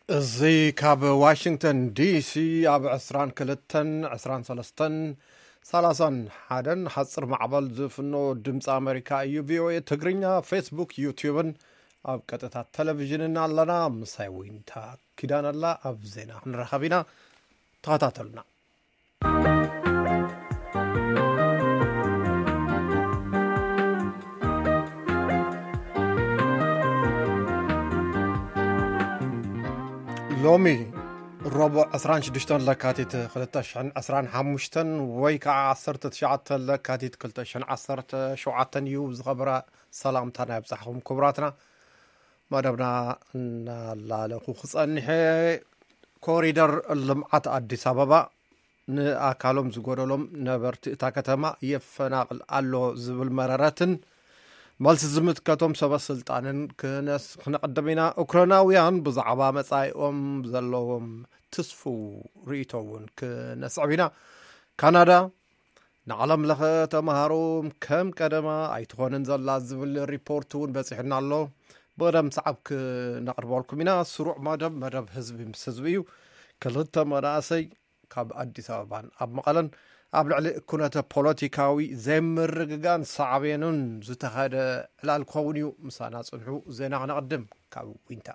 እዚ ካብ ዋሽንግተን ዲሲ ኣብ ዕስራን ክልተን፣ ዕስራን ሰለስተን፣ ሰላሳን ሓደን ሓጽር ማዕበል ዝፍኖ ድምፂ ኣመሪካ እዩ። ቪኦኤ ትግርኛ ፌስቡክ፣ ዩቲዩብን ኣብ ቀጥታ ቴሌቪዥንን ኣለና። ምሳይ ዊንታ ኪዳን ኣላ። ኣብ ዜና ክንራኸብ ኢና። ተኸታተሉና። ሎሚ ረቡዕ ዕስራን ሽዱሽተን ለካቲት ክልተ ሽሕን ዕስራን ሓሙሽተን ወይ ከዓ ዓሰርተ ትሽዓተ ለካቲት ክልተ ሽሕን ዓሰርተ ሸውዓተን እዩ። ዝኸበራ ሰላምታና ይብጻሕኹም ክቡራትና። መደብና እናላለኹ ክጸንሐ፣ ኮሪደር ልምዓት ኣዲስ ኣበባ ንኣካሎም ዝጎደሎም ነበርቲ እታ ከተማ የፈናቕል ኣሎ ዝብል መረረትን መልሲ ዝምትከቶም ሰበ ስልጣንን ክነስ-፣ ክነቕድም ኢና። ኡክራናውያን ብዛዕባ መጻኢኦም ዘለዎም ትስፉው ርእይቶ እውን ክነስዕብ ኢና። ካናዳ ንዓለም ለኸ ተምሃሮ ከም ቀደማ ኣይትኾንን ዘላ ዝብል ሪፖርት እውን በፂሕና ኣሎ። ብቕደም ሰዓብ ክነቕርበልኩም ኢና። ስሩዕ መደብ፣ መደብ ህዝቢ ምስ ህዝቢ እዩ። ክልተ መናእሰይ ካብ ኣዲስ ኣበባን ኣብ መቐለን ኣብ ልዕሊ ኩነተ ፖለቲካዊ ዘይምርግጋን ሳዕቤኑን ዝተኻየደ ዕላል ክኸውን እዩ። ምሳና ጽንሑ። ዜና ክነቕድም ካብ ዊንታ።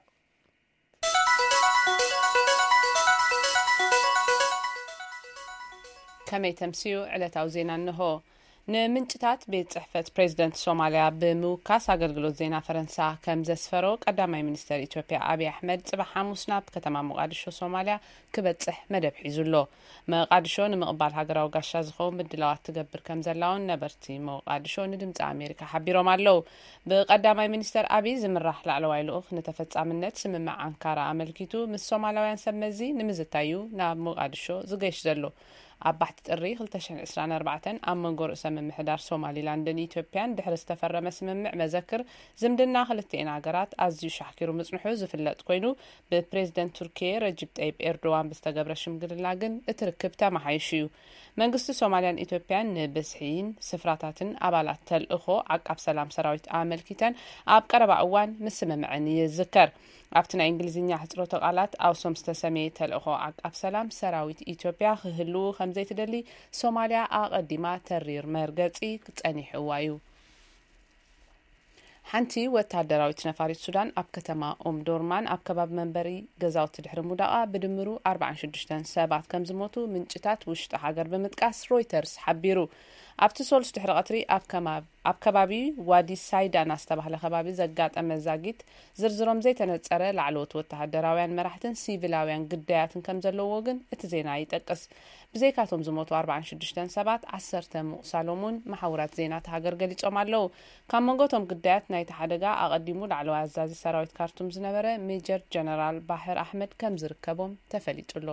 ከመይ ተምስዩ? ዕለታዊ ዜና እንሆ። ንምንጭታት ቤት ጽሕፈት ፕሬዝደንት ሶማልያ ብምውካስ ኣገልግሎት ዜና ፈረንሳ ከም ዘስፈሮ፣ ቀዳማይ ሚኒስተር ኢትዮጵያ ኣብይ ኣሕመድ ጽባሕ ሓሙስ ናብ ከተማ ሞቃዲሾ ሶማልያ ክበጽሕ መደብ ሒዙ ኣሎ። መቃዲሾ ንምቕባል ሃገራዊ ጋሻ ዝኸውን ምድላዋት ትገብር ከም ዘላ እውን ነበርቲ መቃዲሾ ንድምፂ ኣሜሪካ ሓቢሮም ኣለዉ። ብቀዳማይ ሚኒስተር ኣብይ ዝምራሕ ላዕለዋይ ልኡኽ ንተፈጻምነት ስምምዕ ኣንካራ ኣመልኪቱ ምስ ሶማላውያን ሰብ መዚ ንምዝታይ እዩ ናብ ሞቃዲሾ ዝገይሽ ዘሎ። ኣብ ባሕቲ ጥሪ ክልተ ሽሕን ዕስራን ኣርባዕተን ኣብ መንጎ ርእሰ ምምሕዳር ሶማሊላንድን ኢትዮጵያን ድሕሪ ዝተፈረመ ስምምዕ መዘክር ዝምድና ክልቲኤን ሃገራት ኣዝዩ ሻሕኪሩ ምጽንሑ ዝፍለጥ ኮይኑ፣ ብፕሬዝደንት ቱርኪየ ረጅብ ጠይብ ኤርዶዋን ብዝተገብረ ሽምግልና ግን እቲ ርክብ ተመሓይሹ እዩ። መንግስቲ ሶማልያን ኢትዮጵያን ንብዝሒን ስፍራታትን ኣባላት ተልእኾ ዓቃብ ሰላም ሰራዊት ኣመልኪተን ኣብ ቀረባ እዋን ምስምምዐን ይዝከር። ኣብቲ ናይ እንግሊዝኛ ሕጽሮተ ቃላት ኣውሶም ዝተሰመየ ተልእኾ ዓቃብ ሰላም ሰራዊት ኢትዮጵያ ክህልዉ ከም ዘይትደሊ ሶማልያ ኣቐዲማ ተሪር መርገጺ ጸኒሕዋ እዩ። ሓንቲ ወታደራዊት ነፋሪት ሱዳን ኣብ ከተማ ኡምዶርማን ኣብ ከባቢ መንበሪ ገዛውቲ ድሕሪ ምውዳቓ ብድምሩ ኣርባዓን ሽዱሽተን ሰባት ከም ዝሞቱ ምንጭታት ውሽጢ ሃገር ብምጥቃስ ሮይተርስ ሓቢሩ። ኣብቲ ሶሉስ ድሕሪ ቀትሪ ኣብ ከማ-፣ ኣብ ከባቢ ዋዲ ሳይዳና ዝተባህለ ከባቢ ዘጋጠመ ዛጊት ዝርዝሮም ዘይተነጸረ ላዕለዎት ወተሃደራውያን መራሕትን ሲቪላውያን ግዳያትን ከም ዘለዎ ግን እቲ ዜና ይጠቅስ። ብዘይካቶም ዝሞቱ ኣርባዓን ሽዱሽተን ሰባት፣ ዓሰርተ ምቑሳሎም እውን መሓውራት ዜና እታ ሃገር ገሊጾም ኣለዉ። ካብ መንጎ እቶም ግዳያት ናይቲ ሓደጋ ኣቐዲሙ ላዕለዋይ ኣዛዚ ሰራዊት ካርቱም ዝነበረ ሜጀር ጀነራል ባሕር ኣሕመድ ከም ዝርከቦም ተፈሊጡ ኣሎ።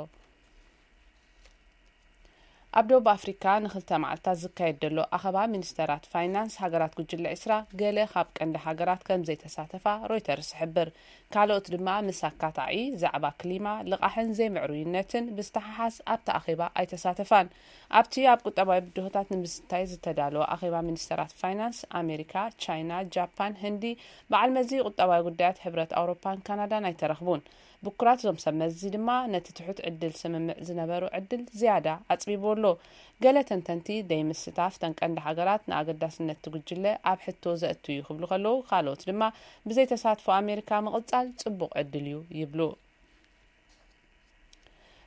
ኣብ ደቡብ ኣፍሪካ ንክልተ መዓልታት ዝካየድ ዘሎ ኣኸባ ሚኒስተራት ፋይናንስ ሃገራት ጉጅለ ዒስራ ገለ ካብ ቀንዲ ሃገራት ከም ዘይተሳተፋ ሮይተርስ ይሕብር። ካልኦት ድማ ምስ ኣካታዒ ዛዕባ ክሊማ፣ ልቓሕን ዘይምዕሩይነትን ብዝተሓሓዝ ኣብቲ ኣኼባ ኣይተሳተፋን። ኣብቲ ኣብ ቁጠባዊ ብድሆታት ንምዝታይ ዝተዳለወ ኣኼባ ሚኒስተራት ፋይናንስ ኣሜሪካ፣ ቻይና፣ ጃፓን፣ ህንዲ፣ በዓል መዚ ቁጠባዊ ጉዳያት ሕብረት ኣውሮፓን ካናዳን ኣይተረኽቡን። ብኩራት እዞም ሰብ መዚ ድማ ነቲ ትሑት ዕድል ስምምዕ ዝነበሩ ዕድል ዝያዳ ኣጽቢብዎ ኣሎ። ገለ ተንተንቲ ደይምስታፍ እተን ቀንዲ ሃገራት ንኣገዳስነት እቲ ጉጅለ ኣብ ሕቶ ዘእቱ እዩ ክብሉ ከለዉ፣ ካልኦት ድማ ብዘይ ተሳትፎ ኣሜሪካ ምቕጻል ጽቡቕ ዕድል እዩ ይብሉ።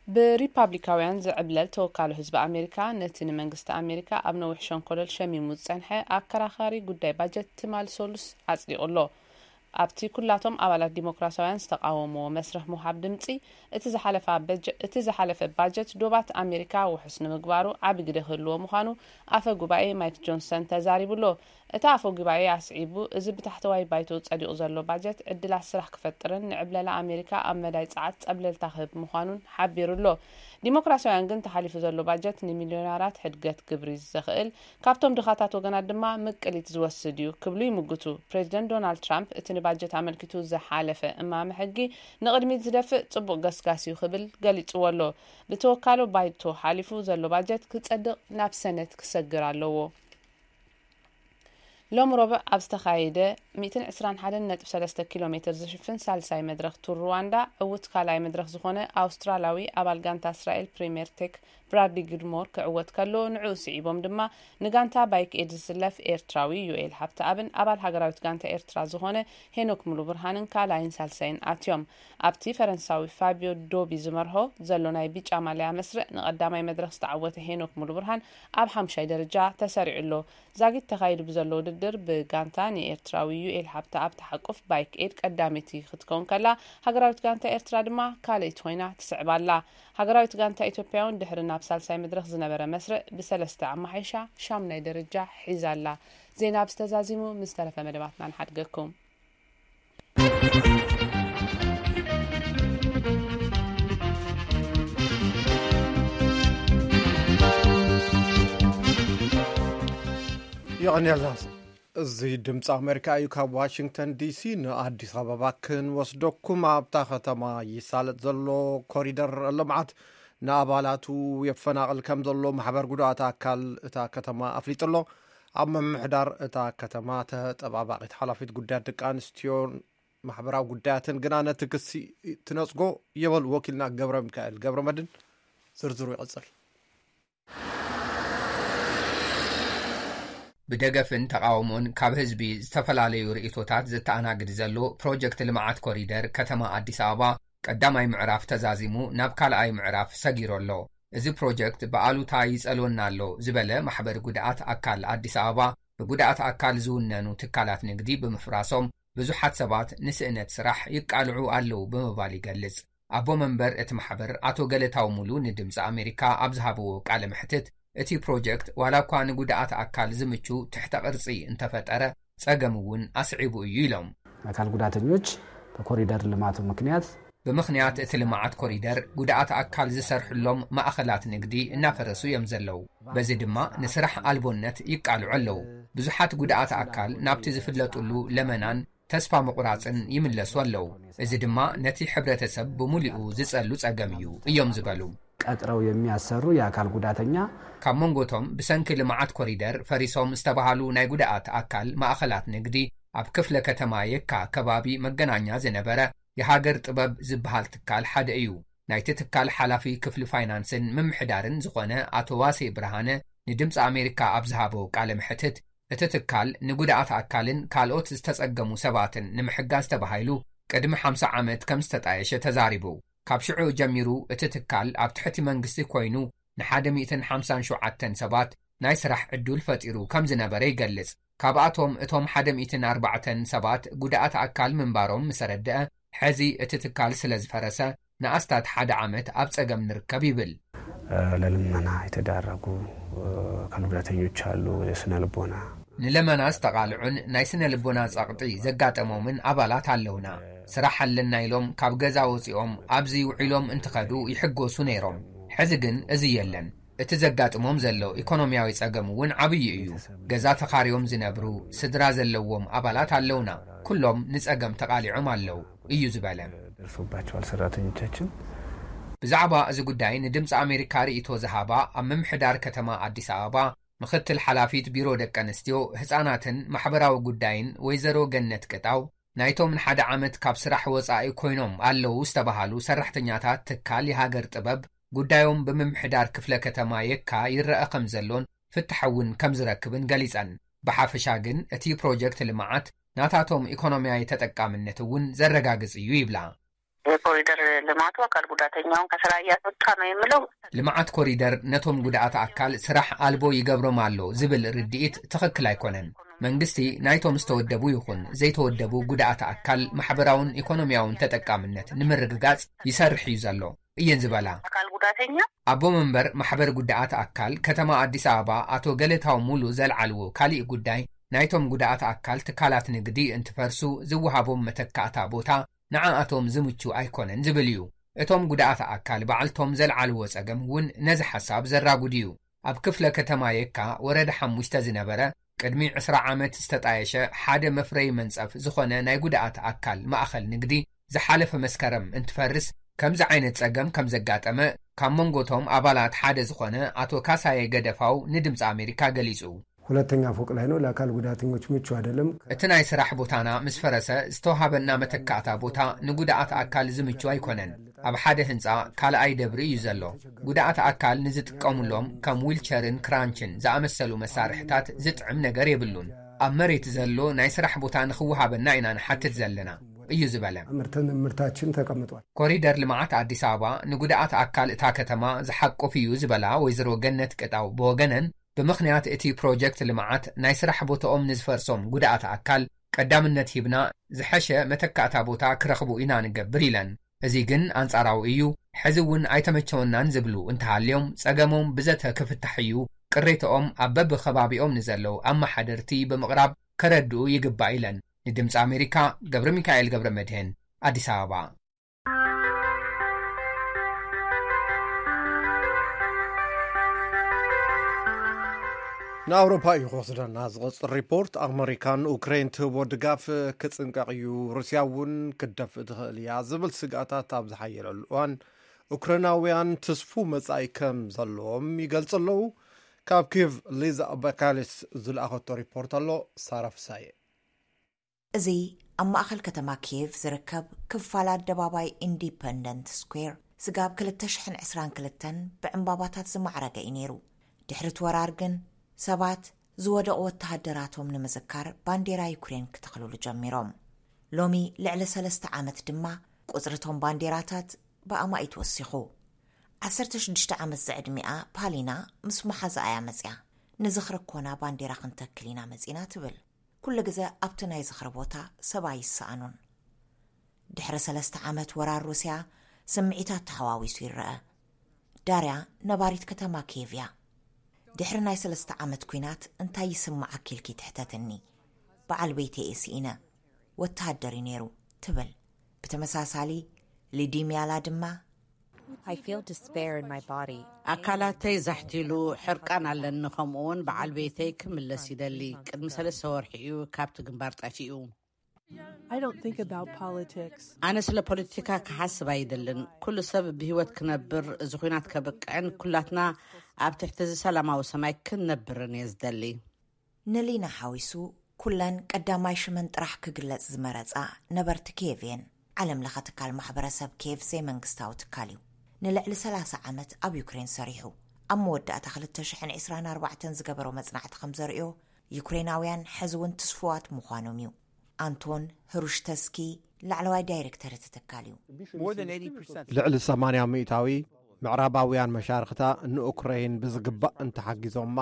ብሪፓብሊካውያን ዝዕብለል ተወካሎ ህዝቢ ኣሜሪካ ነቲ ንመንግስቲ ኣሜሪካ ኣብ ነዊሕ ሸንኮለል ሸሚሙ ዝጸንሐ ኣከራኻሪ ጉዳይ ባጀት ትማል ሰሉስ ኣጽዲቑ ኣሎ። ኣብቲ ኩላቶም ኣባላት ዲሞክራሲያውያን ዝተቓወምዎ መስርሕ ምውሃብ ድምጺ፣ እቲ ዝሓለፈ በጀ-፣ እቲ ዝሓለፈ ባጀት ዶባት ኣሜሪካ ውሑስ ንምግባሩ ዓቢ ግደ ክህልዎ ምዃኑ ኣፈ ጉባኤ ማይክ ጆንሰን ተዛሪቡ ኣሎ። እቲ ኣፈ ጉባኤ ኣስዒቡ፣ እዚ ብታሕተዋይ ባይቶ ጸዲቑ ዘሎ ባጀት ዕድላት ስራሕ ክፈጥርን ንዕብለላ ኣሜሪካ ኣብ መዳይ ጸዓት ጸብለልታ ክህብ ምዃኑን ሓቢሩ ኣሎ። ዲሞክራሲያውያን ግን ተሓሊፉ ዘሎ ባጀት ንሚልዮነራት ሕድገት ግብሪ ዘኽእል፣ ካብቶም ድኻታት ወገናት ድማ ምቅሊት ዝወስድ እዩ ክብሉ ይምጉቱ። ፕሬዚደንት ዶናልድ ትራምፕ እቲ ንባጀት ኣመልኪቱ ዝሓለፈ እማመ ሕጊ ንቕድሚት ዝደፍእ ጽቡቕ ገስጋስ እዩ ክብል ገሊጽዎ ኣሎ። ብተወካሎ ባይቶ ሓሊፉ ዘሎ ባጀት ክጸድቕ ናብ ሰነት ክሰግር ኣለዎ። ሎም ረቡዕ ኣብ ዝተኻየደ ሚእትን ዕስራን ሓደን ነጥቢ ሰለስተ ኪሎ ሜትር ዝሽፍን ሳልሳይ መድረኽ ቱር ሩዋንዳ፣ ዕውት ካልኣይ መድረኽ ዝኾነ ኣውስትራላዊ ኣባል ጋንታ እስራኤል ፕሪምየር ቴክ ብራድሊ ግድሞር ክዕወት ከሎ፣ ንዕኡ ስዒቦም ድማ ንጋንታ ባይክ ኤድ ዝስለፍ ኤርትራዊ ዩኤል ሃብተኣብን ኣባል ሃገራዊት ጋንታ ኤርትራ ዝኾነ ሄኖክ ሙሉ ብርሃንን ካልኣይን ሳልሳይን ኣትዮም። ኣብቲ ፈረንሳዊ ፋቢዮ ዶቢ ዝመርሆ ዘሎ ናይ ቢጫ ማልያ መስርዕ ንቐዳማይ መድረኽ ዝተዓወተ ሄኖክ ሙሉ ብርሃን ኣብ ሓምሻይ ደረጃ ተሰሪዑ ኣሎ። ዛጊት ተኻይዱ ብዘሎ ውድድር ብጋንታ ንኤርትራዊ ዩኤል ሃብተኣብ ተሓቁፍ ባይክ ኤድ ቀዳመይቲ ክትከውን ከላ፣ ሃገራዊት ጋንታ ኤርትራ ድማ ካልኣይቲ ኮይና ትስዕብ ኣላ። ሃገራዊት ጋንታ ኢትዮጵያ እውን ድሕሪ ናብ ሳልሳይ መድረኽ ዝነበረ መስርዕ ብሰለስተ ኣመሓይሻ ሻምናይ ደረጃ ሒዛ ኣላ። ዜና ኣብዚ ተዛዚሙ፣ ምስ ተረፈ መደባትና ንሓድገኩም። የቐንየልና። እዚ ድምፂ ኣሜሪካ እዩ። ካብ ዋሽንግተን ዲሲ ንኣዲስ ኣበባ ክንወስደኩም። ኣብታ ከተማ ይሳለጥ ዘሎ ኮሪደር ልምዓት ንኣባላቱ የፈናቕል ከም ዘሎ ማሕበር ጉዳኣት ኣካል እታ ከተማ ኣፍሊጡ ኣሎ። ኣብ ምምሕዳር እታ ከተማ ተጠባባቒት ሓላፊት ጉዳያት ደቂ ኣንስትዮን ማሕበራዊ ጉዳያትን ግና ነቲ ክሲ ትነጽጎ የበሉ። ወኪልና ገብረ ሚካኤል ገብረ መድን ዝርዝሩ ይቕጽል። ብደገፍን ተቓውሞን ካብ ህዝቢ ዝተፈላለዩ ርእይቶታት ዘተኣናግድ ዘሎ ፕሮጀክት ልምዓት ኮሪደር ከተማ ኣዲስ ኣበባ ቀዳማይ ምዕራፍ ተዛዚሙ ናብ ካልኣይ ምዕራፍ ሰጊሩ ኣሎ። እዚ ፕሮጀክት ብኣሉታ ይጸልወና ኣሎ ዝበለ ማሕበር ጉድኣት ኣካል ኣዲስ ኣበባ፣ ብጉድኣት ኣካል ዝውነኑ ትካላት ንግዲ ብምፍራሶም ብዙሓት ሰባት ንስእነት ስራሕ ይቃልዑ ኣለዉ ብምባል ይገልጽ። ኣቦ መንበር እቲ ማሕበር ኣቶ ገለታው ሙሉ ንድምፂ ኣሜሪካ ኣብ ዝሃብዎ ቃለ መሕትት፣ እቲ ፕሮጀክት ዋላ እኳ ንጉድኣት ኣካል ዝምቹ ትሕተ ቅርፂ እንተፈጠረ፣ ጸገም እውን ኣስዒቡ እዩ ኢሎም። አካል ጉዳተኞች በኮሪደር ልማቱ ምክንያት ብምኽንያት እቲ ልምዓት ኮሪደር ጉድኣት ኣካል ዝሰርሕሎም ማእኸላት ንግዲ እናፈረሱ እዮም ዘለዉ። በዚ ድማ ንስራሕ ኣልቦነት ይቃልዑ ኣለዉ። ብዙሓት ጉድኣት ኣካል ናብቲ ዝፍለጡሉ ለመናን ተስፋ ምቑራጽን ይምለሱ ኣለዉ። እዚ ድማ ነቲ ሕብረተሰብ ብሙሉኡ ዝጸሉ ጸገም እዩ እዮም ዝበሉ። ቀጥረው የሚያሰሩ የአካል ጉዳተኛ ካብ መንጎቶም ብሰንኪ ልምዓት ኮሪደር ፈሪሶም ዝተባሃሉ ናይ ጉድኣት ኣካል ማእኸላት ንግዲ ኣብ ክፍለ ከተማ የካ ከባቢ መገናኛ ዝነበረ የሃገር ጥበብ ዝበሃል ትካል ሓደ እዩ። ናይቲ ትካል ሓላፊ ክፍሊ ፋይናንስን ምምሕዳርን ዝኾነ ኣቶ ዋሴ ብርሃነ ንድምፂ ኣሜሪካ ኣብ ዝሃቦ ቃለ መሕትት፣ እቲ ትካል ንጉድኣት ኣካልን ካልኦት ዝተጸገሙ ሰባትን ንምሕጋዝ ተባሂሉ ቅድሚ ሓምሳ ዓመት ከም ዝተጣየሸ ተዛሪቡ። ካብ ሽዑ ጀሚሩ እቲ ትካል ኣብ ትሕቲ መንግስቲ ኮይኑ ንሓደ ሚእትን ሓምሳን ሸውዓተን ሰባት ናይ ስራሕ ዕዱል ፈጢሩ ከም ዝነበረ ይገልጽ። ካብኣቶም እቶም ሓደ ሚእትን ኣርባዕተን ሰባት ጉድኣት ኣካል ምንባሮም ምስ ኣረድአ፣ ሕዚ እቲ ትካል ስለ ዝፈረሰ ንኣስታት ሓደ ዓመት ኣብ ጸገም ንርከብ ይብል። ለልመና የተዳረጉ አካል ጉዳተኞች አሉ። የስነ ልቦና ንለመና ዝተቓልዑን ናይ ስነ ልቦና ጸቕጢ ዘጋጠሞምን ኣባላት ኣለውና። ስራሕ ኣለና ኢሎም ካብ ገዛ ወጺኦም ኣብዚ ውዒሎም እንትኸዱ ይሕጎሱ ነይሮም። ሕዚ ግን እዚ የለን። እቲ ዘጋጥሞም ዘሎ ኢኮኖሚያዊ ጸገም እውን ዓብዪ እዩ። ገዛ ተኻርዮም ዝነብሩ ስድራ ዘለዎም ኣባላት ኣለውና። ኩሎም ንጸገም ተቓሊዖም ኣለዉ እዩ ዝበለ። ደርሶባቸዋል ሰራተኞቻችን። ብዛዕባ እዚ ጉዳይ ንድምፂ ኣሜሪካ ርእይቶ ዝሃባ ኣብ ምምሕዳር ከተማ ኣዲስ ኣበባ ምኽትል ሓላፊት ቢሮ ደቂ ኣንስትዮ፣ ህፃናትን ማሕበራዊ ጉዳይን ወይዘሮ ገነት ቅጣው፣ ናይቶም ንሓደ ዓመት ካብ ስራሕ ወፃኢ ኮይኖም ኣለዉ ዝተባሃሉ ሰራሕተኛታት ትካል የሃገር ጥበብ ጉዳዮም ብምምሕዳር ክፍለ ከተማ የካ ይረአ ከም ዘሎን ፍታሕ እውን ከም ዝረክብን ገሊፀን። ብሓፈሻ ግን እቲ ፕሮጀክት ልምዓት ናታቶም ኢኮኖሚያዊ ተጠቃምነት እውን ዘረጋግጽ እዩ ይብላ። የኮሪደር ልማቱ አካል ጉዳተኛውን ከስራ እያስወጣ ነው የሚለው ልምዓት ኮሪደር ነቶም ጉድኣት ኣካል ስራሕ ኣልቦ ይገብሮም ኣሎ ዝብል ርድኢት ትኽክል ኣይኮነን። መንግስቲ ናይቶም ዝተወደቡ ይኹን ዘይተወደቡ ጉድኣት ኣካል ማሕበራውን ኢኮኖሚያውን ተጠቃምነት ንምርግጋጽ ይሰርሕ እዩ ዘሎ እየን ዝበላ። አካል ጉዳተኛ ኣቦ መንበር ማሕበር ጉድኣት ኣካል ከተማ ኣዲስ ኣበባ ኣቶ ገለታው ሙሉ ዘልዓልዎ ካሊእ ጉዳይ፣ ናይቶም ጉድኣት ኣካል ትካላት ንግዲ እንትፈርሱ ዝወሃቦም መተካእታ ቦታ ንዓኣቶም ዝምቹ ኣይኮነን ዝብል እዩ። እቶም ጉድኣት ኣካል ባዕልቶም ዘልዓልዎ ጸገም እውን ነዚ ሓሳብ ዘራጉድ እዩ። ኣብ ክፍለ ከተማ የካ ወረዳ ሓሙሽተ ዝነበረ ቅድሚ ዕስራ ዓመት ዝተጣየሸ ሓደ መፍረዪ መንጸፍ ዝኾነ ናይ ጉድኣት ኣካል ማእኸል ንግዲ ዝሓለፈ መስከረም እንትፈርስ ከምዚ ዓይነት ጸገም ከም ዘጋጠመ ካብ መንጎቶም ኣባላት ሓደ ዝኾነ ኣቶ ካሳየ ገደፋው ንድምፂ ኣሜሪካ ገሊጹ። ሁለተኛ ፎቅ ላይ ነው። ለአካል ጉዳተኞች ምቹ አይደለም። እቲ ናይ ስራሕ ቦታና ምስ ፈረሰ ዝተዋሃበና መተካእታ ቦታ ንጉድኣት ኣካል ዝምቹ ኣይኮነን። ኣብ ሓደ ህንፃ ካልኣይ ደብሪ እዩ ዘሎ። ጉድኣት ኣካል ንዝጥቀሙሎም ከም ዊልቸርን ክራንችን ዝኣመሰሉ መሳርሕታት ዝጥዕም ነገር የብሉን። ኣብ መሬት ዘሎ ናይ ስራሕ ቦታ ንኽወሃበና ኢና ንሓትት ዘለና፣ እዩ ዝበለ። ምርትን ምርታችን ተቀምጧል። ኮሪደር ልምዓት ኣዲስ ኣበባ ንጉድኣት ኣካል እታ ከተማ ዝሓቁፍ እዩ ዝበላ ወይዘሮ ገነት ቅጣው ብወገነን፣ ብምኽንያት እቲ ፕሮጀክት ልምዓት ናይ ስራሕ ቦታኦም ንዝፈርሶም ጉድኣት ኣካል ቀዳምነት ሂብና ዝሐሸ መተካእታ ቦታ ክረኽቡ ኢና ንገብር ኢለን። እዚ ግን ኣንጻራዊ እዩ። ሕዚ እውን ኣይተመቸወናን ዝብሉ እንተሃልዮም ጸገሞም ብዘተ ክፍታሕ እዩ። ቅሬታኦም ኣብ በብኸባቢኦም ንዘለዉ ኣመሓደርቲ ብምቕራብ ከረድኡ ይግባእ ኢለን። ንድምፂ ኣሜሪካ ገብረ ሚካኤል ገብረ መድህን፣ ኣዲስ ኣበባ። ንኣውሮፓ እዩ ክወስደና ዝቐፅል ሪፖርት። ኣመሪካ ንኡክሬን ትህቦ ድጋፍ ክፅንቀቕ እዩ፣ ሩስያ እውን ክትደፍእ ትኽእል እያ ዝብል ስግኣታት ኣብ ዝሓየለሉ እዋን፣ ኡክሬናውያን ትስፉ መጻኢ ከም ዘለዎም ይገልጹ ኣለዉ። ካብ ኪቭ ሊዛ ባካሊስ ዝለኣኸቶ ሪፖርት ኣሎ። ሳራ ፍሳየ። እዚ ኣብ ማእኸል ከተማ ኪየቭ ዝርከብ ክፋል ኣደባባይ ኢንዲፐንደንት ስኩዌር፣ ስጋብ ክልተ ሽሕን ዕስራን ክልተን ብዕምባባታት ዝማዕረገ እዩ ነይሩ። ድሕሪ እቲ ወራር ግን፣ ሰባት ዝወደቑ ወተሃደራቶም ንምዝካር ባንዴራ ዩክሬን ክተኽልሉ ጀሚሮም። ሎሚ ልዕሊ ሰለስተ ዓመት ድማ፣ ቁጽሪ እቶም ባንዴራታት ብኣማኢት ወሲኹ። ዓሰርተ ሽዱሽተ ዓመት ዝዕድሚኣ ፓሊና ምስ መሓዛኣ እያ መጺኣ። ንዝኽሪ ኮና ባንዴራ ክንተክል ኢና መጺና፣ ትብል። ኩሉ ግዘ ኣብቲ ናይ ዝኽሪ ቦታ ሰባ ይሰኣኑን። ድሕሪ ሰለስተ ዓመት ወራር ሩስያ፣ ስምዒታት ተሓዋዊሱ ይረአ። ዳርያ ነባሪት ከተማ ኪየቭ እያ። ድሕሪ ናይ ሰለስተ ዓመት ኲናት እንታይ ይስምዓኪ ኢልኪ ትሕተትኒ። በዓል ቤተይ እየ ስኢነ። ወተሃደር እዩ ነይሩ፣ ትብል። ብተመሳሳሊ፣ ሊዲምያላ ድማ፣ I feel despair in my body. ኣካላተይ ዛሕቲሉ፣ ሕርቃን ኣለኒ፣ ከምኡውን በዓል ቤተይ ክምለስ ይደሊ። ቅድሚ ሰለስተ ወርሒ እዩ ካብቲ ግንባር ጠፊኡ። I don't think about politics. ኣነ ስለ ፖለቲካ ክሓስብ ኣይደልን። ኩሉ ሰብ ብህይወት ክነብር፣ እዚ ኹናት ከብቅዕን ኩላትና ኣብ ትሕቲ እዚ ሰላማዊ ሰማይ ክንነብርን እየ ዝደሊ። ንሊና ሓዊሱ፣ ኩለን ቀዳማይ ሽመን ጥራሕ ክግለጽ ዝመረጻ ነበርቲ ኪየቭ እየን። ዓለም ለኸ ትካል ማሕበረሰብ ኪየቭ ዘይመንግስታዊ ትካል እዩ። ንልዕሊ ሰላሳ ዓመት ኣብ ዩክሬን ሰሪሑ። ኣብ መወዳእታ ክልተ ሽሕን ዕስራን ኣርባዕተን ዝገበሮ መጽናዕቲ ከም ዘርእዮ፣ ዩክሬናውያን ሕዚ እውን ትስፉዋት ምዃኖም እዩ። ኣንቶን ህሩሽተስኪ ላዕለዋይ ዳይሬክተር እቲ ትካል እዩ። ልዕሊ ሰማንያ ሚእታዊ ምዕራባውያን መሻርኽታ ንኡክረይን ብዝግባእ እንተሓጊዞማ፣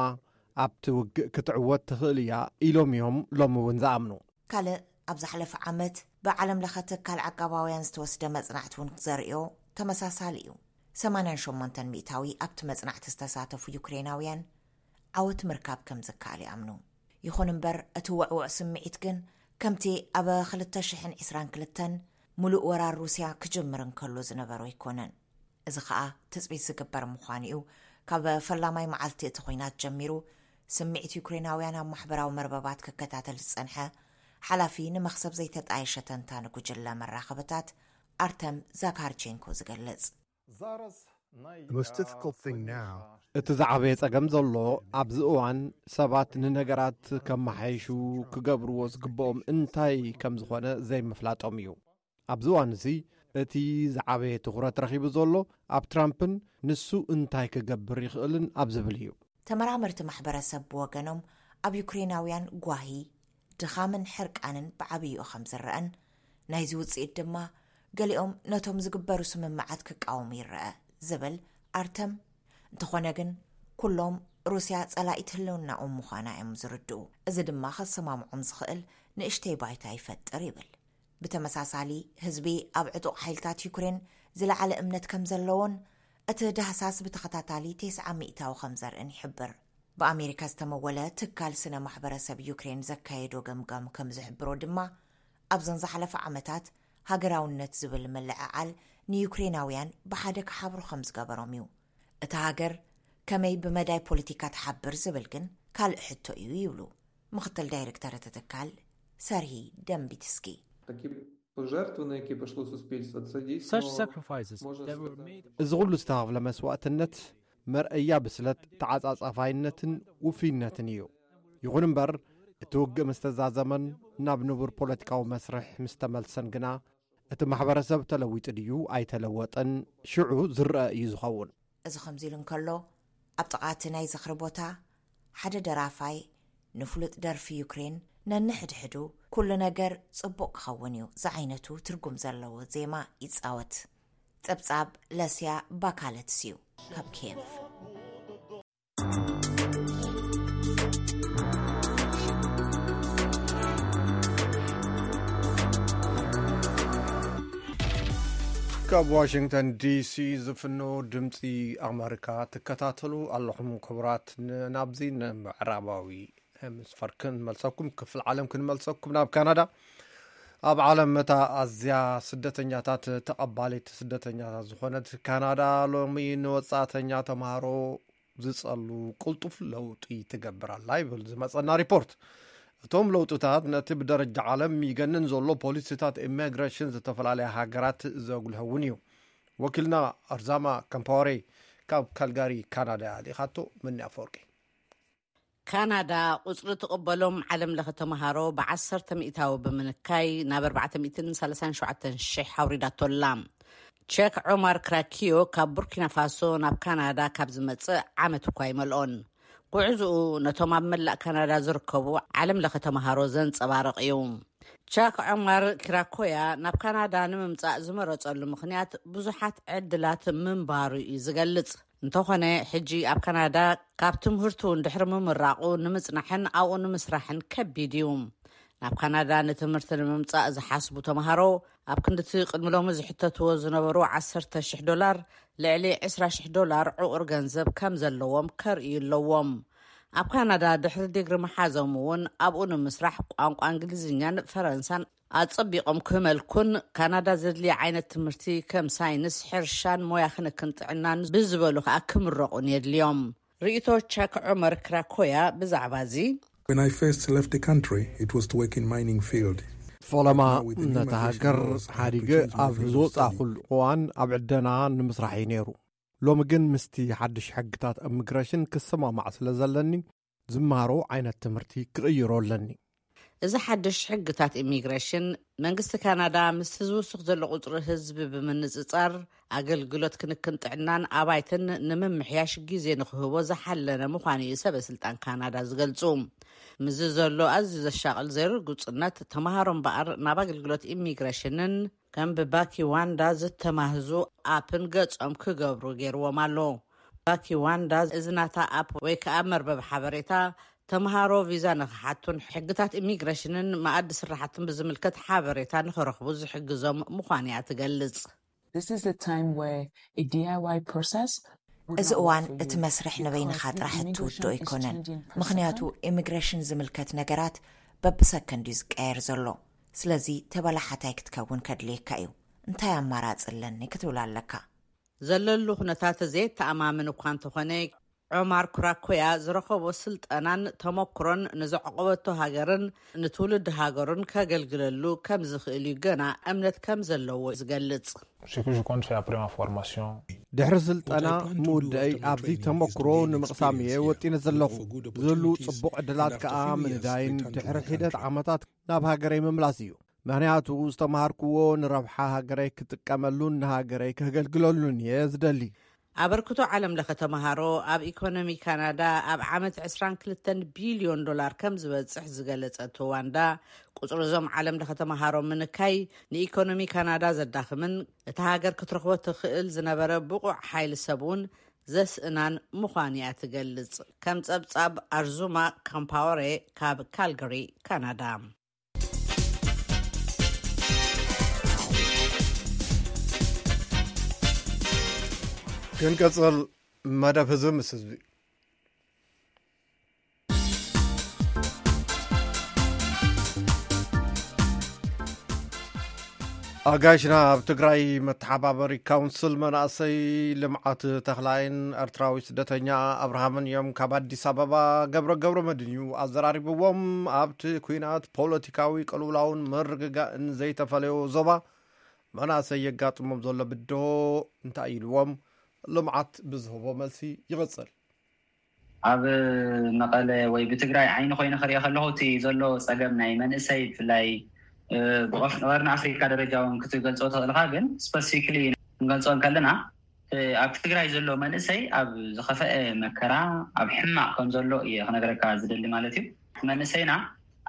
ኣብቲ ውግእ ክትዕወት ትኽእል እያ ኢሎም እዮም ሎሚ እውን ዝኣምኑ። ካልእ ኣብ ዝሓለፈ ዓመት ብዓለም ለኸ ትካል ዓቃባውያን ዝተወስደ መጽናዕቲ እውን ዘርእዮ ተመሳሳሊ እዩ። ሰማንያን ሸሞንተን ሚእታዊ ኣብቲ መጽናዕቲ ዝተሳተፉ ዩክሬናውያን ዓወት ምርካብ ከም ዝከኣል ይኣምኑ። ይኹን እምበር፣ እቲ ውዕውዕ ስምዒት ግን ከምቲ ኣብ ክልተ ሽሕን ዕስራን ክልተን ምሉእ ወራር ሩስያ ክጅምር እንከሎ ዝነበሮ ኣይኮነን። እዚ ኸኣ ትጽቢት ዝግበር ምዃኑ እዩ። ካብ ፈላማይ መዓልቲ እቲ ኹናት ጀሚሩ፣ ስምዒት ዩክሬናውያን ኣብ ማሕበራዊ መርበባት ክከታተል ዝጸንሐ፣ ሓላፊ ንመኽሰብ ዘይተጣየሸ ተንታኒ ጉጅለ መራኸብታት ኣርተም ዛካርቼንኮ ዝገልጽ። እቲ ዝዓበየ ጸገም ዘሎ ኣብዚ እዋን፣ ሰባት ንነገራት ከመሓይሹ ክገብርዎ ዝግብኦም እንታይ ከም ዝኾነ ዘይምፍላጦም እዩ። ኣብዚ እዋን እዚ፣ እቲ ዝዓበየ ትኹረት ረኺቡ ዘሎ ኣብ ትራምፕን ንሱ እንታይ ክገብር ይኽእልን ኣብ ዝብል እዩ። ተመራመርቲ ማሕበረሰብ ብወገኖም፣ ኣብ ዩክሬናውያን ጓሂ፣ ድኻምን ሕርቃንን ብዓብይኡ ከም ዝረኣን፣ ናይዚ ውጽኢት ድማ ገሊኦም ነቶም ዝግበሩ ስምምዓት ክቃወሙ ይረአ ዝብል ኣርተም፣ እንተኾነ ግን፣ ኩሎም ሩስያ ጸላኢት ህልውናኦም ምዃና እዮም ዝርድኡ። እዚ ድማ ከሰማምዖም ዝኽእል ንእሽተይ ባይታ ይፈጥር ይብል። ብተመሳሳሊ፣ ህዝቢ ኣብ ዕጡቕ ሓይልታት ዩክሬን ዝለዓለ እምነት ከም ዘለዎን፣ እቲ ዳህሳስ ብተኸታታሊ ተስዓ ሚእታዊ ከም ዘርእን ይሕብር። ብኣሜሪካ ዝተመወለ ትካል ስነ ማሕበረሰብ ዩክሬን ዘካየዶ ገምጋም ከም ዝሕብሮ ድማ፣ ኣብዘን ዝሓለፈ ዓመታት ሃገራውነት ዝብል ምልዕዓል ንዩክሬናውያን ብሓደ ክሓብሩ ከም ዝገበሮም እዩ። እታ ሃገር ከመይ ብመዳይ ፖለቲካ ትሓብር ዝብል ግን ካልእ ሕቶ እዩ ይብሉ ምኽትል ዳይሬክተር እቲ ትካል ሰርሂ ደምቢትስኪ። Пожертвований, які пішло суспільство, це дійсно Such sacrifices може that were сказати. Made እዚ ኩሉ ዝተኸፍለ መስዋእትነት መርኣያ ብስለት፣ ተዓጻጻፋይነትን ውፍይነትን እዩ። ይኹን እምበር፣ እቲ ውግእ ምስ ተዛዘመን ናብ ንቡር ፖለቲካዊ መስርሕ ምስ ተመልሰን ግና፣ እቲ ማሕበረሰብ ተለዊጡ ድዩ ኣይተለወጠን ሽዑ ዝረአ እዩ ዝኸውን። እዚ ከምዚ ኢሉ እንከሎ፣ ኣብ ጥቓ እቲ ናይ ዝኽሪ ቦታ ሓደ ደራፋይ ንፍሉጥ ደርፊ ዩክሬን ነንሕድሕዱ "ኩሉ ነገር ጽቡቕ ክኸውን እዩ" ዝዓይነቱ ትርጉም ዘለዎ ዜማ ይጻወት። ጸብጻብ ለስያ ባካለትስ እዩ ካብ ኪየቭ። ካብ ዋሽንግተን ዲሲ ዝፍኖ ድምፂ ኣመሪካ ትከታተሉ ኣለኹም። ክቡራት፣ ን-፣ ናብዚ ንምዕራባዊ ሄምስፈር ክንመልሰኩም፣ ክፍል ዓለም ክንመልሰኩም፣ ናብ ካናዳ። ኣብ ዓለም እታ ኣዝያ ስደተኛታት ተቐባሊት ስደተኛታት ዝኾነት ካናዳ፣ ሎሚ ንወጻእተኛ ተምሃሮ ዝጸሉ ቅልጡፍ ለውጢ ትገብር ኣላ ይብል ዝመጸና ሪፖርት። እቶም ለውጥታት ነቲ ብደረጃ ዓለም ይገንን ዘሎ ፖሊሲታት ኢሚግሬሽን ዝተፈላለያ ሃገራት ዘጉልህ እውን እዩ። ወኪልና ኣርዛማ ከምፓወሬ ካብ ካልጋሪ ካናዳ ልኢኻቶ። ምኒ ኣፈወርቂ። ካናዳ ቁጽሪ ትቕበሎም ዓለም ለኸ ተምሃሮ ብ10 ሚእታዊ ብምንካይ ናብ ኣርባዕተ ሚእትን ሰላሳን ሸውዓተን ሽሕ ኣውሪዳቶ ኣላ። ቸክ ዑማር ክራኪዮ ካብ ቡርኪና ፋሶ ናብ ካናዳ ካብ ዝመጽእ ዓመት እኳ ኣይመልኦን። ጉዕዝኡ ነቶም ኣብ መላእ ካናዳ ዝርከቡ ዓለም ለኸ ተምሃሮ ዘንጸባርቕ እዩ። ቻክ ዑማር ኪራኮያ ናብ ካናዳ ንምምጻእ ዝመረጸሉ ምኽንያት ብዙሓት ዕድላት ምንባሩ እዩ ዝገልጽ። እንተኾነ፣ ሕጂ ኣብ ካናዳ ካብ ትምህርቱ ድሕሪ ምምራቑ ንምጽናሕን ኣብኡ ንምስራሕን ከቢድ እዩ። ናብ ካናዳ ንትምህርቲ ንምምጻእ ዝሓስቡ ተምሃሮ፣ ኣብ ክንድቲ ቅድሚ ሎሚ ዝሕተትዎ ዝነበሩ ዓሰርተ ሽሕ ዶላር፣ ልዕሊ ዕስራ ሽሕ ዶላር ዕቑር ገንዘብ ከም ዘለዎም ከርእዩ ኣለዎም። ኣብ ካናዳ ድሕሪ ዲግሪ ምሓዞም እውን ኣብኡ ንምስራሕ ቋንቋ እንግሊዝኛን ፈረንሳን ኣጸቢቖም ክመልኩን፣ ካናዳ ዘድልያ ዓይነት ትምህርቲ ከም ሳይንስ፣ ሕርሻን ሞያ ክንክን ጥዕናን ብዝበሉ ከኣ ክምረቑን የድልዮም። ርእይቶ ቻክ ዑመር ክራኮያ ብዛዕባ እዚ። When I first left the country, it was to work in mining field. ፈለማ ነታ ሃገር ሓዲገ ኣብ ዝወጻእኩሉ እዋን ኣብ ዕደና ንምስራሕ እዩ ነይሩ። ሎሚ ግን ምስቲ ሓድሽ ሕግታት ኢሚግሬሽን ክሰማማዕ ስለ ዘለኒ፣ ዝመሃሮ ዓይነት ትምህርቲ ክቕይሮ ኣለኒ። እዚ ሓድሽ ሕግታት ኢሚግሬሽን፣ መንግስቲ ካናዳ ምስቲ ዝውስኽ ዘሎ ቁጽሪ ህዝቢ ብምንጽጻር፣ ኣገልግሎት ክንክን ጥዕናን ኣባይትን ንምምሕያሽ ግዜ ንክህቦ ዝሓለነ ምዃኑ እዩ ሰበ ስልጣን ካናዳ ዝገልጹ። ምስዚ ዘሎ ኣዝዩ ዘሻቕል ዘይርጉጽነት፣ ተምሃሮ እምበኣር ናብ ኣገልግሎት ኢሚግሬሽንን ከም ብባኪ ዋንዳ ዝተማህዙ ኣፕን ገጾም ክገብሩ ገይርዎም ኣሎ። ባኪ ዋንዳ፣ እዚ ናታ ኣፕ ወይ ከኣ መርበብ ሓበሬታ፣ ተምሃሮ ቪዛ ንኽሓቱን ሕግታት ኢሚግሬሽንን መኣዲ ስራሕትን ብዝምልከት ሓበሬታ ንኽረኽቡ ዝሕግዞም ምዃኑ እያ ትገልጽ። This is a time where a D I Y process would እዚ not work እዋን for እቲ you መስርሕ ንበይንኻ because ጥራሕ እትውድኦ immigration ኣይኮነን። Changing process ምኽንያቱ፣ ኢሚግሬሽን ዝምልከት ነገራት በብሰከንድ እዩ ዝቀየር ዘሎ። ስለዚ፣ ተበላሓታይ ክትከውን ከድልየካ እዩ። "እንታይ ኣማራጺ ኣለኒ?" ክትብል ኣለካ። ዘለሉ ኩነታት ዘየተኣማምን እኳ እንተኾነ፣ ዑማር ኩራኮያ ዝረኸቦ ስልጠናን ተመክሮን ንዘዕቆበቶ ሃገርን ንትውልዲ ሃገሩን ከገልግለሉ ከም ዝኽእል እዩ ገና እምነት ከም ዘለዎ ዝገልጽ። Ce que je compte faire après ma formation. ድሕሪ ስልጠና ምውደይ ኣብዚ ተመክሮ ንምቕሳም እየ ወጢነ ዘለኹ። ዝህሉ ጽቡቕ ዕድላት ከኣ ምንዳይን ድሕሪ ሒደት ዓመታት ናብ ሃገረይ ምምላስ እዩ። ምኽንያቱ ዝተምሃርክዎ ንረብሓ ሃገረይ ክጥቀመሉን ንሃገረይ ከገልግለሉን እየ ዝደሊ። ኣበርክቶ ዓለም ለኸ ተምሃሮ ኣብ ኢኮኖሚ ካናዳ ኣብ ዓመት ዕስራን ክልተን ቢልዮን ዶላር ከም ዝበጽሕ ዝገለጸት ዋንዳ፣ ቁጽሪ እዞም ዓለም ለኸ ተምሃሮ ምንካይ ንኢኮኖሚ ካናዳ ዘዳኽምን እታ ሃገር ክትረኽቦ ትኽእል ዝነበረ ብቑዕ ሓይሊ ሰብ እውን ዘስእናን ምዃኑ እያ ትገልጽ። ከም ጸብጻብ ኣርዙማ ካምፓወሬ ካብ ካልጋሪ ካናዳ። ክንቀጽል፣ መደብ ህዝቢ ምስ ህዝቢ። ኣጋይሽና ኣብ ትግራይ፣ መተሓባበሪ ካውንስል መናእሰይ ልምዓት ተኽላይን ኤርትራዊ ስደተኛ ኣብርሃምን እዮም። ካብ ኣዲስ ኣበባ ገብረ ገብረ መድን እዩ ኣዘራሪብዎም። ኣብቲ ኲናት፣ ፖለቲካዊ ቅልውላውን ምርግጋእን ዘይተፈለዮ ዞባ፣ መናእሰይ የጋጥሞም ዘሎ ብድሆ እንታይ ኢልዎም? ልምዓት ብዝህቦ መልሲ ይቕጽል። ኣብ መቐለ ወይ ብትግራይ ዓይኒ ኮይነ ክሪኦ ከለኹ እቲ ዘሎ ፀገም ናይ መንእሰይ ብፍላይ ብቀርኒ ኣፍሪካ ደረጃ እውን ክትገልፆ ትኽእልካ፣ ግን ስፐሲፊክሊ ክንገልፆ እንከለና ኣብ ትግራይ ዘሎ መንእሰይ ኣብ ዝኸፈአ መከራ ኣብ ሕማቕ ከም ዘሎ እየ ክነግረካ ዝደሊ ማለት እዩ። መንእሰይና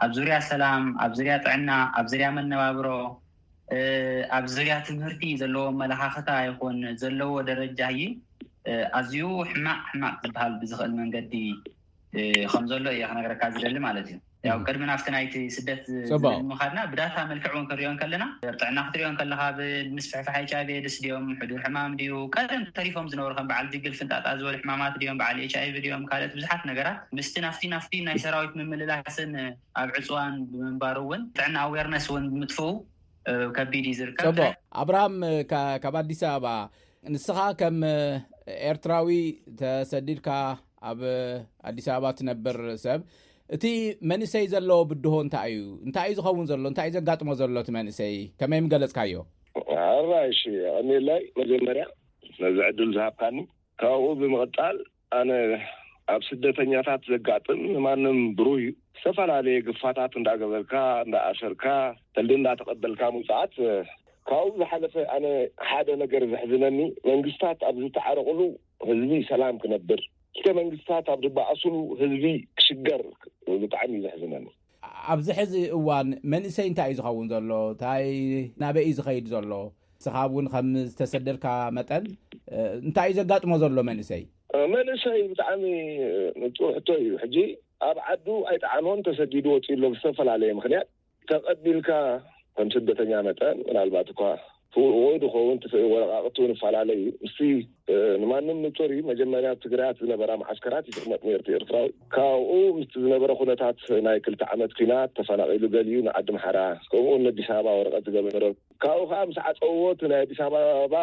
ኣብ ዙርያ ሰላም፣ ኣብ ዙርያ ጥዕና፣ ኣብ ዙርያ መነባብሮ፣ ኣብ ዙርያ ትምህርቲ ዘለዎ ኣመለኻኽታ ይኹን ዘለዎ ደረጃ እዩ ኣዝዩ ሕማቕ ሕማቕ ዝበሃል ብዝኽእል መንገዲ ከም ዘሎ እየ ክነግረካ ዝደሊ ማለት እዩ። ያው ቅድሚ ናብቲ ናይቲ ስደት ምኻድና ብዳታ መልክዕ እውን ክንሪኦ ከለና ጥዕና ክትሪኦ ከለካ ብምስፍሕፋሕ ኤች ኣይቪ ኤድስ ድዮም፣ ሕዱር ሕማም ድዩ፣ ቀደም ተሪፎም ዝነበሩ ከም በዓል ድግል ፍንጣጣ ዝበሉ ሕማማት ድዮም፣ በዓል ኤች ኣይቪ ድዮም፣ ካልኦት ብዙሓት ነገራት ምስቲ ናፍቲ ናፍቲ ናይ ሰራዊት ምምልላስን ኣብ ዕፅዋን ብምንባሩ እውን ጥዕና ኣዌርነስ እውን ብምጥፍኡ ከቢድ እዩ ዝርከብ። ፅቡቅ። ኣብርሃም ካብ ኣዲስ ኣበባ፣ ንስኻ ከም ኤርትራዊ ተሰዲድካ ኣብ ኣዲስ ኣበባ ትነብር ሰብ፣ እቲ መንእሰይ ዘለዎ ብድሆ እንታይ እዩ? እንታይ እዩ ዝኸውን ዘሎ? እንታይ እዩ ዘጋጥሞ ዘሎ እቲ መንእሰይ? ከመይ ምገለጽካዮ? ኣራይ እሺ፣ ቀኒለይ መጀመርያ ነዚ ዕድል ዝሃብካኒ። ካብኡ ብምቕጣል ኣነ ኣብ ስደተኛታት ዘጋጥም ንማንም ብሩህ እዩ። ዝተፈላለየ ግፋታት እንዳገበርካ እንዳኣሰርካ ቀልዲ እንዳተቐበልካ ምውፃዓት። ካብኡ ዝሓለፈ ኣነ ሓደ ነገር ዘሕዝነኒ መንግስታት ኣብ ዝተዓረቕሉ ህዝቢ ሰላም ክነብር፣ ክልተ መንግስታት ኣብ ዝበኣሱሉ ህዝቢ ክሽገር ብጣዕሚ እዩ ዘሕዝነኒ። ኣብዚ ሕዚ እዋን መንእሰይ እንታይ እዩ ዝኸውን ዘሎ? እንታይ ናበይ እዩ ዝኸይድ ዘሎ? ንስኻ እውን ከም ዝተሰደድካ መጠን እንታይ እዩ ዘጋጥሞ ዘሎ መንእሰይ? መንእሰይ ብጣዕሚ ንፁር ሕቶ እዩ። ሕጂ ኣብ ዓዱ ኣይጠዓሞን፣ ተሰዲዱ ወፂኡ ኣሎ ብዝተፈላለየ ምክንያት። ተቐቢልካ ከም ስደተኛ መጠን ምናልባት እኳ ፍውዎ ድኸውን ትፍእ ወረቃቅቱ ንፈላለዩ ምስቲ ንማንም ንፁር እዩ። መጀመርያ ኣብ ትግራያት ዝነበራ ማዓስከራት ይጥቅመጥ ነርቲ ኤርትራዊ። ካብኡ ምስቲ ዝነበረ ኩነታት ናይ ክልተ ዓመት ኲናት ተፈናቂሉ ገሊኡ ንዓዲ ምሓራ፣ ከምኡ እውን ኣዲስ ኣበባ ወረቀት ዝገበረ፣ ካብኡ ከዓ ምስ ዓፀውዎ እቲ ናይ ኣዲስ ኣበባ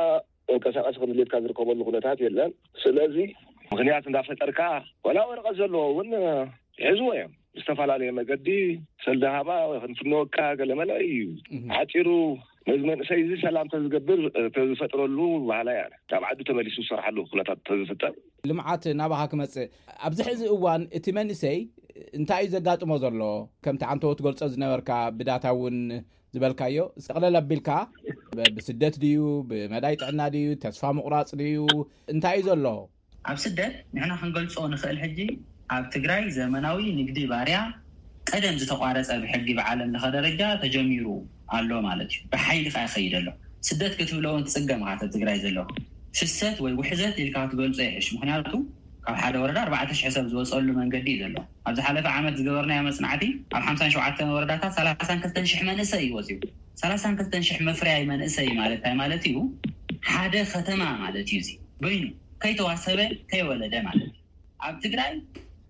መንቀሳቀሲ ከም ድሌትካ ዝርከበሉ ኩነታት የለን። ስለዚ ምክንያት እንዳፈጠርካ ዋላ ወረቀት ዘለዎ እውን ይሕዝዎ እዮም። ዝተፈላለየ መገዲ ሰልዲ ሃባ ወይ ክንፍንወካ ገለመለ እዩ። ሓፂሩ ነዚ መንእሰይ እዚ ሰላም ተዝገብር ተዝፈጥረሉ ባህላ እያ። ካብ ዓዱ ተመሊሱ ዝሰርሓሉ ኩነታት ተዝፍጠር። ልምዓት ናባኻ ክመፅእ ኣብዚ ሕዚ እዋን እቲ መንእሰይ እንታይ እዩ ዘጋጥሞ ዘሎ? ከምቲ ዓንተዎ ትገልጾ ዝነበርካ ብዳታ እውን ዝበልካዮ፣ ጠቕለል ኣቢልካ ብስደት ድዩ፣ ብመዳይ ጥዕና ድዩ፣ ተስፋ ምቑራፅ ድዩ፣ እንታይ እዩ ዘሎ? ኣብ ስደት ንሕና ክንገልጾ ንኽእል ሕጂ ኣብ ትግራይ ዘመናዊ ንግዲ ባርያ ቀደም ዝተቋረጸ ብሕጊ ብዓለም ለኸ ደረጃ ተጀሚሩ ኣሎ ማለት እዩ። ብሓይሊ ከኣ ይኸይድ ኣሎ። ስደት ክትብሎ እውን ትጽገም ኢኻ፣ ኣብ ትግራይ ዘሎ ፍሰት ወይ ውሕዘት ኢልካ ክትገልጾ ይሕሽ። ምኽንያቱ ካብ ሓደ ወረዳ ኣርባዕተ ሽሕ ሰብ ዝወጸሉ መንገዲ እዩ ዘሎ። ኣብ ዝሓለፈ ዓመት ዝገበርናዮ መጽናዕቲ ኣብ ሓምሳን ሸውዓተን ወረዳታት ሰላሳን ክልተን ሽሕ መንእሰይ እዩ ወጺኡ። ሰላሳን ክልተን ሽሕ መፍረያይ መንእሰይ ማለት እንታይ ማለት እዩ? ሓደ ከተማ ማለት እዩ። እዚ በይኑ ከይተዋሰበ ከይወለደ ማለት እዩ። ኣብ ትግራይ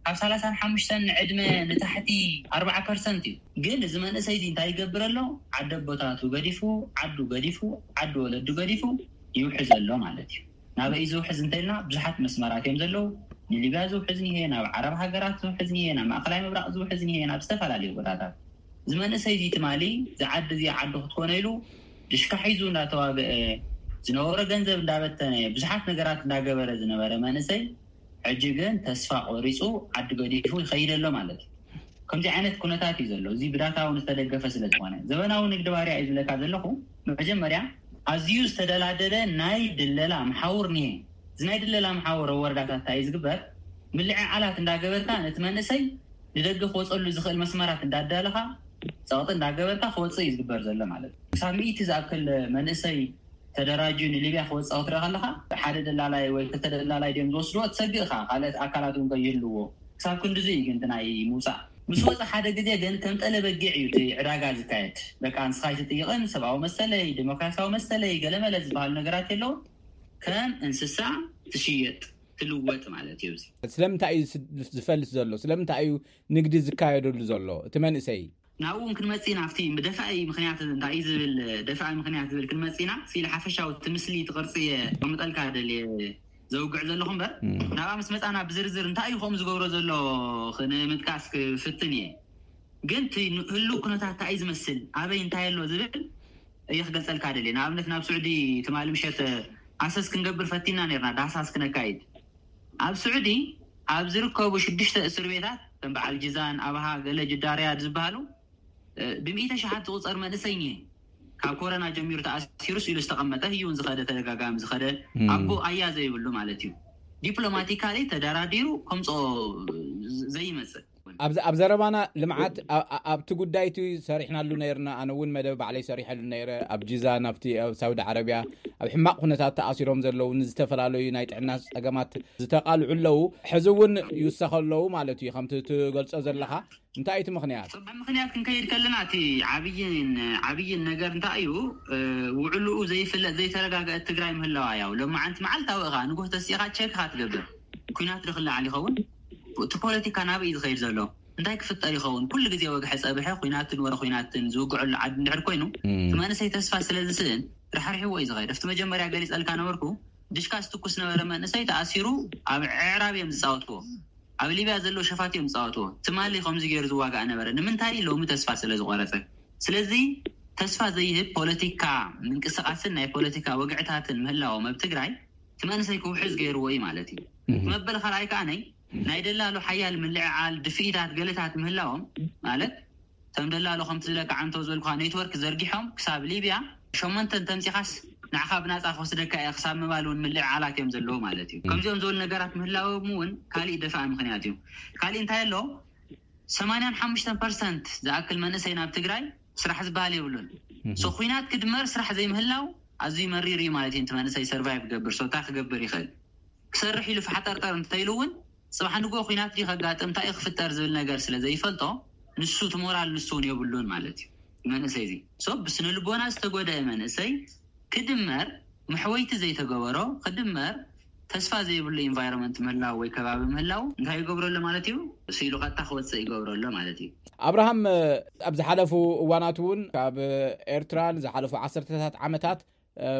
ካብ ሰላሳን ሓሙሽተን ንዕድመ ንታሕቲ ኣርባዓ ፐርሰንት እዩ። ግን እዚ መንእሰይ እዚ እንታይ ይገብር ኣሎ? ዓዲ ኣቦታቱ ገዲፉ፣ ዓዱ ገዲፉ፣ ዓዲ ወለዱ ገዲፉ ይውሕዝ ኣሎ ማለት እዩ። ናበይ ዝውሕዝ እንተልና ብዙሓት መስመራት እዮም ዘለዉ። ንሊብያ ዝውሕዝ እኒሄ፣ ናብ ዓረብ ሃገራት ዝውሕዝ እኒሄ፣ ናብ ማእኸላይ ምብራቕ ዝውሕዝ እኒሄ፣ ናብ ዝተፈላለዩ ቦታታት። እዚ መንእሰይ እዚ ትማሊ እዚ ዓዲ እዚ ዓዱ ክትኮነ ኢሉ ድሽካ ሒዙ እንዳተዋግአ ዝነበሮ ገንዘብ እንዳበተነ ብዙሓት ነገራት እንዳገበረ ዝነበረ መንእሰይ ሕጂ ግን ተስፋ ቆሪፁ ዓዲ ገዲፉ ይኸይድ ኣሎ ማለት እዩ። ከምዚ ዓይነት ኩነታት እዩ ዘሎ። እዚ ብዳታ እውን ዝተደገፈ ስለ ዝኾነ ዘበናዊ ንግዲ ባርያ እዩ ዝብለካ ዘለኹ። መጀመርያ ኣዝዩ ዝተደላደለ ናይ ድለላ መሓውር እኒሄ። እዚ ናይ ድለላ መሓውር ኣብ ወረዳታት እንታይ እዩ ዝግበር? ምልዕዓላት እንዳገበርካ ነቲ መንእሰይ ንደገ ክወፀሉ ዝኽእል መስመራት እንዳዳለኻ ፀቕጢ እንዳገበርካ ክወፅእ እዩ ዝግበር ዘሎ ማለት እዩ። ክሳብ ሚእቲ ዝኣክል መንእሰይ ተደራጁ ንሊብያ ክወፅእ ክትርኢ ከለካ ሓደ ደላላይ ወይ ክልተ ደላላይ ድዮም ዝወስድዎ ትሰግእ ኢኻ። ካልኦት ኣካላት እውን ከይህልዎ ክሳብ ክንድዚ እዩ ግን እቲ ናይ ምውፃእ ምስ ወፀ ሓደ ግዜ ግን ከም ጠለ በጊዕ እዩ እቲ ዕዳጋ ዝካየድ። በቃ ንስኻ ኣይትጥይቕን፣ ሰብኣዊ መሰለይ፣ ዴሞክራሲያዊ መሰለይ፣ ገለመለ ዝበሃሉ ነገራት የለውን። ከም እንስሳ ትሽየጥ ትልወጥ ማለት እዩ። እዚ ስለምንታይ እዩ ዝፈልስ ዘሎ? ስለምንታይ እዩ ንግዲ ዝካየደሉ ዘሎ? እቲ መንእሰይ ናብኡ እውን ክንመፅእ ኢና። ኣብቲ ደፋኢ ምክንያት እንታይ እዩ ዝብል ደፋኢ ምክንያት ዝብል ክንመፅእ ኢና። ስኢል ሓፈሻዊ እቲ ምስሊ እቲ ቅርፂ እየ ከምጠልካ ደልየ ዘውግዕ ዘለኹ እምበር ናብኣ ምስ መፃና ብዝርዝር እንታይ እዩ ከምኡ ዝገብሮ ዘሎ ክንምጥቃስ ክፍትን እየ። ግን እቲ ህሉው ኩነታት እንታይ እዩ ዝመስል ኣበይ እንታይ ኣሎ ዝብል እየ ክገልፀልካ ደልየ። ንኣብነት ናብ ስዑዲ ትማሊ ምሸት ኣሰስ ክንገብር ፈቲና ነርና፣ ዳህሳስ ክነካይድ ኣብ ስዑዲ ኣብ ዝርከቡ ሽዱሽተ እስር ቤታት ከም በዓል ጅዛን፣ ኣብሃ፣ ገለ ጅዳ ሪያድ ዝበሃሉ፣ እ፣ ብሚእተ ሸሓት ዝቑጸር መንእሰይ እኒሀ። ካብ ኮረና ጀሚሩ ተኣሲሩስ ኢሉ ዝተቐመጠ፣ ህዩ እውን ዝኸደ፣ ተደጋጋሚ ዝኸደ፣ ኣቦ ኣያ ዘይብሉ ማለት እዩ። ዲፕሎማቲካሊ ተደራዲሩ ከምፅኦ ዘይመፅእ። ኣብ ዘረባና ልምዓት ኣብቲ ጉዳይ እቲ ሰሪሕናሉ ነይርና። ኣነ እውን መደብ ባዕለይ ሰሪሐሉ ነይረ። ኣብ ጂዛን ኣብቲ ኣብ ሳውዲ ዓረብያ ኣብ ሕማቕ ኩነታት ተኣሲሮም ዘለዉ ንዝተፈላለዩ ናይ ጥዕና ፀገማት ዝተቓልዑ ኣለዉ። ሕዚ እውን ይውሰኸ ኣለዉ ማለት እዩ። ከምቲ ትገልጾ ዘለኻ እንታይ እቲ ምኽንያት? ምኽንያት ክንከይድ ከለና እቲ ዓብይን ዓብይን ነገር እንታይ እዩ? ውዕልኡ ዘይፍለጥ ዘይተረጋገአት ትግራይ ምህላዋ ያው ሎማዓንቲ መዓልታዊ ኢኻ ንጉህ ተሲኻ ቸክ ኢኻ ትገብር። ኩናት ድኽላዓል ይኸውን? እቲ ፖለቲካ ናበይ እዩ ዝኸይድ ዘሎ? እንታይ ክፍጠር ይኸውን? ኩሉ ግዜ ወግሐ ጸብሐ ኩናትን ወረ ኩናትን ዝውግዐሉ ዓዲ እንድሕር ኮይኑ እቲ መንእሰይ ተስፋ ስለ ዝስእን ራሕሪሕዎ እዩ ዝኸይድ። ኣብቲ መጀመርያ ገሊጸልካ ነበርኩ ድሽካ ዝትኩስ ነበረ መንእሰይ ተኣሲሩ ኣብ ዕዕራብ እዮም ዝጻወትዎ። ኣብ ሊብያ ዘለዉ ሸፋት እዮም ዝጻወትዎ። ትማሊ ከምዚ ገይሩ ዝዋጋእ ነበረ። ንምንታይ? ሎሚ ተስፋ ስለ ዝቆረጸ። ስለዚ ተስፋ ዘይህብ ፖለቲካ ምንቅስቃስን ናይ ፖለቲካ ወግዕታትን ምህላዎም ኣብ ትግራይ እቲ መንእሰይ ክውሕዝ ገይርዎ እዩ ማለት እዩ። እቲ መበል ካልኣይ ከኣ ናይ ናይ ደላሎ ሓያል ምልዕዓል ድፍኢታት ገለታት ምህላዎም ማለት ከም ደላሎ ከምቲ ዝለካ ዓንቶ ዝበልኩኻ ኔትወርክ ዘርጊሖም ክሳብ ሊብያ ሸሞንተ እንተምፂኻስ ንዓኻ ብናፃ ክወስደካ እየ ክሳብ ምባል እውን ምልዕዓላት እዮም ዘለዉ ማለት እዩ። ከምዚኦም ዝበሉ ነገራት ምህላዎም እውን ካሊእ ደፋኢ ምክንያት እዩ። ካሊእ እንታይ ኣሎ? ሰማንያን ሓሙሽተን ፐርሰንት ዝኣክል መንእሰይ ናብ ትግራይ ስራሕ ዝበሃል የብሉን። ሶ ኩናት ክድመር ስራሕ ዘይምህላው ኣዝዩ መሪር እዩ ማለት እዩ። እቲ መንእሰይ ሰርቫይቭ ክገብር ሶ እንታይ ክገብር ይኽእል? ክሰርሕ ኢሉ ፋሕጠርጠር እንተኢሉ እውን ፅባሕ ንግሆ ኩናት ድዩ ከጋጥም እንታይ እዩ ክፍጠር ዝብል ነገር ስለ ዘይፈልጦ ንሱ እቲ ሞራል ንሱ እውን የብሉን ማለት እዩ። መንእሰይ እዚ ሶ ብስነ ልቦና ዝተጎደአ መንእሰይ ክድመር መሕወይቲ ዘይተገበሮ ክድመር ተስፋ ዘይብሉ ኢንቫይሮንመንት ምህላው ወይ ከባቢ ምህላው እንታይ ይገብረሉ ማለት እዩ? ስኢሉ ቀጥታ ክወፅእ ይገብረሉ ማለት እዩ። ኣብርሃም ኣብ ዝሓለፉ እዋናት እውን ካብ ኤርትራ ንዝሓለፉ ዓሰርተታት ዓመታት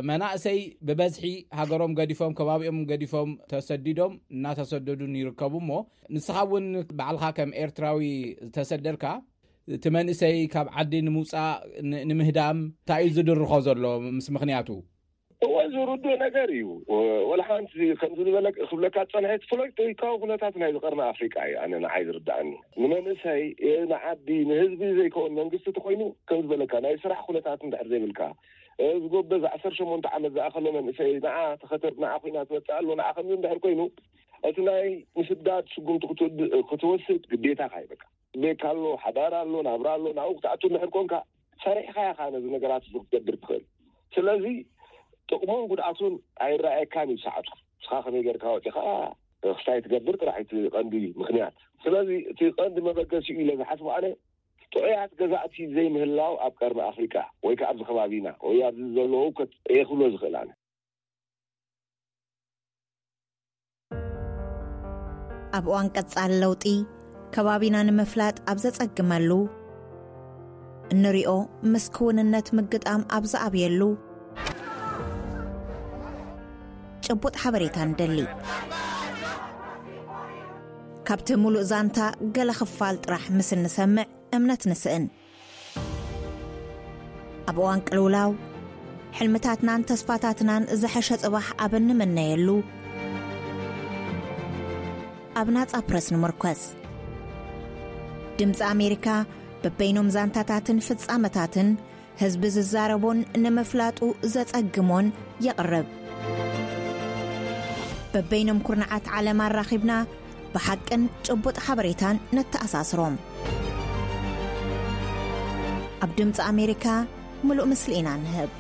መናእሰይ ብበዝሒ ሃገሮም ገዲፎም ከባቢኦም ገዲፎም ተሰዲዶም እናተሰደዱን ይርከቡ እሞ ንስኻ እውን ባዕልኻ ከም ኤርትራዊ ዝተሰደድካ እቲ መንእሰይ ካብ ዓዲ ንምውፃእ ንምህዳም እንታይ እዩ ዝድርኾ ዘሎ ምስ ምኽንያቱ? እወ ዝርድእ ነገር እዩ። ወላ ሓንቲ ከምዚ ዝበለ ክብለካ ዝፀንሐ እቲ ፖለቲካዊ ኩነታት ናይ ዝቀርኒ ኣፍሪቃ እዩ ኣነ ንዓይ ዝርድኣኒ። ንመንእሰይ ንዓዲ ንህዝቢ ዘይከውን መንግስቲ ተኮይኑ ከም ዝበለካ ናይ ስራሕ ኩነታት እንድሕር ዘይብልካ ዝጎበዝ ዓሰርተ ሸሞንተ ዓመት ዝኣኸሎ መንእሰይ ንዓ ተኸተብ ንዓ ኮይና ትመፅእ ኣሎ ንዓ ከምዚ እንድሕር ኮይኑ እቲ ናይ ምስዳድ ስጉምቲ ክትወስድ ግዴታ ካይበካ ቤት ኣሎ፣ ሓዳር ኣሎ፣ ናብራ ኣሎ፣ ናብኡ ክትኣቱ እንድሕር ኮንካ ሰሪሕኻ ኢኻ ነዚ ነገራት እዚ ክትገብር ትኽእል። ስለዚ ጥቕሙን ጉድኣቱን ኣይረኣየካን እዩ ሰዓቱ። ንስኻ ከመይ ጌርካ ወፂኻ ክስታይ ትገብር ጥራሕ እቲ ቀንዲ ምኽንያት። ስለዚ እቲ ቀንዲ መበገሲኡ ኢለ ዝሓስቦ ኣነ ጥዑያት ገዛእቲ ዘይምህላው ኣብ ቀርኒ ኣፍሪቃ ወይ ከዓ ኣብዚ ከባቢና ወይ ኣብዚ ዘለዉ ከት እየ ክብሎ ዝኽእል ኣነ። ኣብ እዋን ቀጻሊ ለውጢ ከባቢና ንምፍላጥ ኣብ ዘጸግመሉ እንሪኦ ምስ ክውንነት ምግጣም ኣብ ዝኣብየሉ ጭቡጥ ሓበሬታ ንደሊ። ካብቲ ሙሉእ ዛንታ ገለ ክፋል ጥራሕ ምስ እንሰምዕ እምነት ንስእን። ኣብ እዋን ቅልውላው ሕልምታትናን ተስፋታትናን ዝሐሸ ጽባሕ ኣብ እንምነየሉ ኣብ ናጻ ፕረስ ንምርኮስ። ድምፂ ኣሜሪካ በበይኖም ዛንታታትን ፍጻመታትን ህዝቢ ዝዛረቦን ንምፍላጡ ዘጸግሞን የቕርብ። በበይኖም ኩርናዓት ዓለም ኣራኺብና ብሓቅን ጭቡጥ ሓበሬታን ነተኣሳስሮም። ኣብ ድምፂ ኣሜሪካ ምሉእ ምስሊ ኢና ንህብ።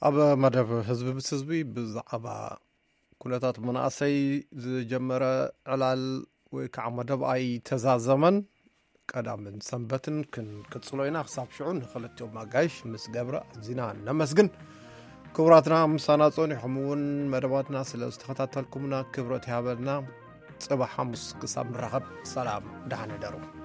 ኣብ መደብ ህዝቢ ምስ ህዝቢ ብዛዕባ ኩነታት መናእሰይ ዝጀመረ ዕላል ወይ ከዓ መደብ ኣይተዛዘመን። ቀዳምን ሰንበትን ክንቅጽሎ ኢና። ክሳብ ሽዑ ንክልቲኦም ኣጋይሽ ምስ ገብረ ኣዚና ነመስግን። ክቡራትና ምሳና ጸኒሖም እውን መደባትና ስለ ዝተኸታተልኩምና ክብረት ይሃበልና። ጽባሕ ሓሙስ ክሳብ ንራኸብ ሰላም ደሓን ሕደሩ።